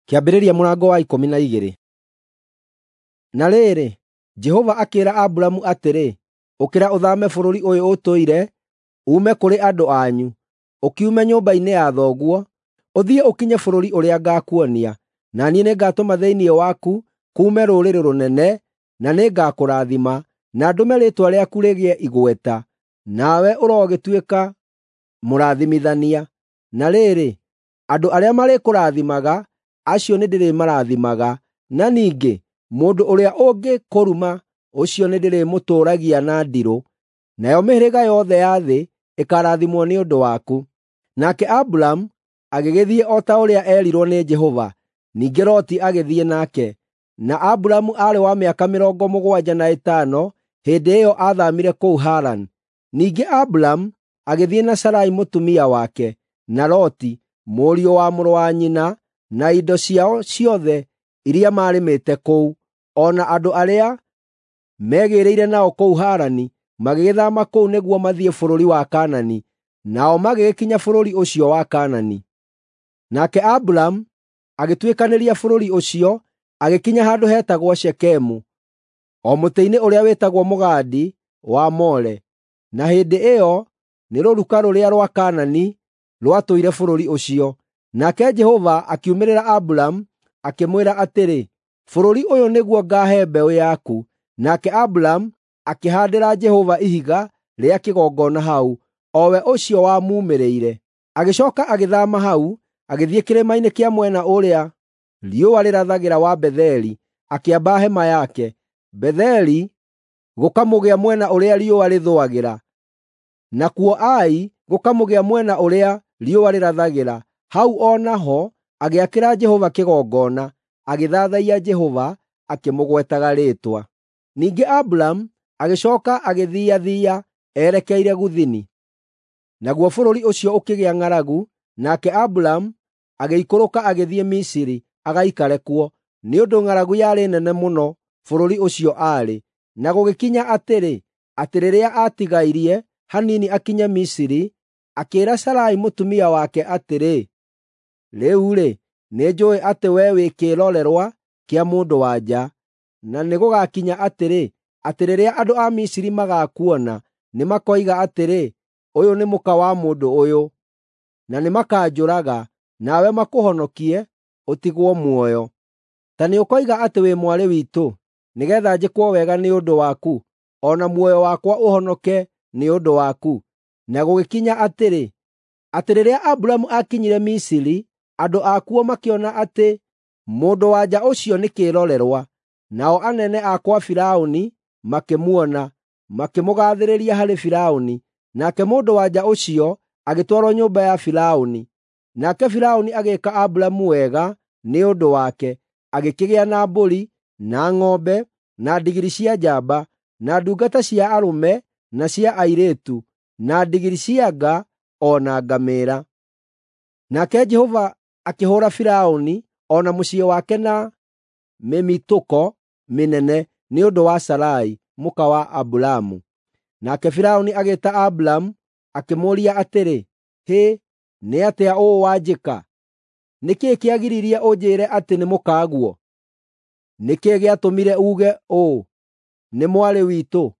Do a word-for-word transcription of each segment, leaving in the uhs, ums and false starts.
Kĩambĩrĩria mũrango wa ikũmi na igĩrĩ. Na rĩrĩ, Jehova akĩĩra Aburamu atĩrĩ, “Ũkĩra ũthaame bũrũri ũyũ ũtũire, uume kũrĩ andũ anyu, ũkiume nyũmba-inĩ ya thoguo, ũthiĩ ũkinye bũrũri ũrĩa ngaakuonia. Na niĩ nĩngatũma thĩinĩ waku kuume rũrĩrĩ rũnene, na nĩngakũrathima, na ndũme rĩĩtwa rĩaku rĩgĩe igweta, nawe ũrogĩtuĩka mũrathimithania. Na rĩrĩ, andũ arĩa marĩkũrathimaga, acio nĩndĩrĩmarathimaga, na ningĩ mũndũ ũrĩa ũngĩkũruma, ũcio nĩndĩrĩmũtũũragia na ndirũ, nayo mĩhĩrĩga yothe ya thĩ ĩkaarathimwo nĩ ũndũ waku.” Nake Aburamu agĩgĩthiĩ o ta ũrĩa eerirwo nĩ Jehova, ningĩ Loti agĩthiĩ nake. Na Aburamu aarĩ wa mĩaka mĩrongo mũgwanja na ĩtano hĩndĩ ĩyo aathaamire kũu Harani. Ningĩ Aburamu agĩthiĩ na Sarai mũtumia wake, na Loti, mũriũ wa mũrũ wa nyina, na indo ciao ciothe iria maarĩmĩte kũu, o na andũ arĩa meegĩĩrĩire nao kũu Harani, magĩgĩthaama kũu nĩguo mathiĩ bũrũri wa Kaanani, nao magĩgĩkinya bũrũri ũcio wa Kaanani. Nake Aburamu agĩtuĩkanĩria bũrũri ũcio, agĩkinya handũ hetagwo Shekemu, o mũtĩ-inĩ ũrĩa wĩtagwo mũgandi wa More. Na hĩndĩ ĩyo nĩ rũruka rũrĩa rwa Kaanani rwatũire bũrũri ũcio. Nake Jehova akiumĩrĩra Aburamu, akĩmwĩra atĩrĩ, “Bũrũri ũyũ nĩguo ngaahe mbeũ yaku.” Nake Aburamu akĩhaandĩra Jehova ihiga rĩa kĩgongona hau, o we ũcio wamuumĩrĩire. Agĩcooka agĩthaama hau, agĩthiĩ kĩrĩma-inĩ kĩa mwena ũrĩa riũa rĩrathagĩra wa Betheli, akĩamba hema yake. Betheli gũkamũgĩa mwena ũrĩa riũa rĩthũagĩra, nakuo Ai gũkamũgĩa mwena ũrĩa riũa rĩrathagĩra. Hau o naho agĩakĩra Jehova kĩgongona, agĩthathaiya Jehova akĩmũgwetaga rĩĩtwa. Ningĩ Aburamu agĩcooka agĩthiiathiia erekeire Gũthini. Naguo bũrũri ũcio ũkĩgĩa ng'aragu, nake Aburamu agĩikũrũka agĩthiĩ Misiri agaikare kuo, nĩ ũndũ ng'aragu yarĩ nene mũno bũrũri ũcio aarĩ. Na gũgĩkinya atĩrĩ, atĩ rĩrĩa aatigairie hanini akinye Misiri, akĩĩra Sarai mũtumia wake atĩrĩ, “Rĩu-rĩ, nĩnjũũĩ atĩ wee wĩ kĩĩrorerwa kĩa mũndũ-wa-nja, na nĩgũgakinya atĩrĩ, atĩ rĩrĩa andũ a Misiri magaakuona, nĩmakoiga atĩrĩ, ‘Ũyũ nĩ mũka wa mũndũ ũyũ,’ na nĩmakanjũraga, nawe makũhonokie ũtigwo muoyo. Ta nĩũkoiga atĩ wĩ mwarĩ witũ, nĩgeetha njĩkwo wega nĩ ũndũ waku, o na muoyo wakwa ũhonoke nĩ ũndũ waku.” Na gũgĩkinya atĩrĩ, atĩ rĩrĩa Aburamu aakinyire Misiri, andũ akuo makĩona atĩ mũndũ-wa-nja ũcio nĩ kĩĩrorerwa. Nao anene a kwa Firaũni makĩmuona, makĩmũgaathĩrĩria harĩ Firaũni, nake mũndũ-wa-nja ũcio agĩtwarwo nyũmba ya Firaũni. Nake Firaũni agĩĩka Aburamu wega nĩ ũndũ wake, agĩkĩgĩa na mbũri, na ng'ombe, na ndigiri cia njamba, na ndungata cia arũme na cia airĩtu, na ndigiri cia nga o na ngamĩĩra. Nake Jehova akĩhũũra Firaũni o na mũciĩ wake na mĩmitũko mĩnene nĩ ũndũ wa Sarai, mũka wa Aburamu. Nake Firaũni agĩĩta Aburamu, akĩmũũria atĩrĩ, “Hĩ, nĩ atĩa ũũ wanjĩka? Nĩ kĩĩ kĩagiririe ũnjĩĩre atĩ nĩ mũkaguo? Nĩ kĩĩ gĩatũmire uuge ũũ, ‘Nĩ mwarĩ witũ,’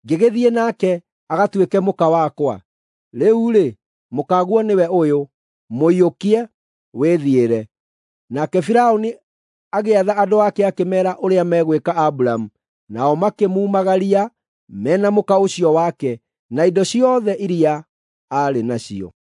ngĩgĩthiĩ nake agatuĩke mũka wakwa? Rĩu-rĩ, mũkaguo nĩwe ũyũ, mũiyũkie, wĩthiĩre.” Nake Firaũni agĩatha andũ ake akĩmeera ũrĩa megwĩka Aburamu, nao makĩmumagaria me na mũka ũcio wake na indo ciothe iria aarĩ nacio.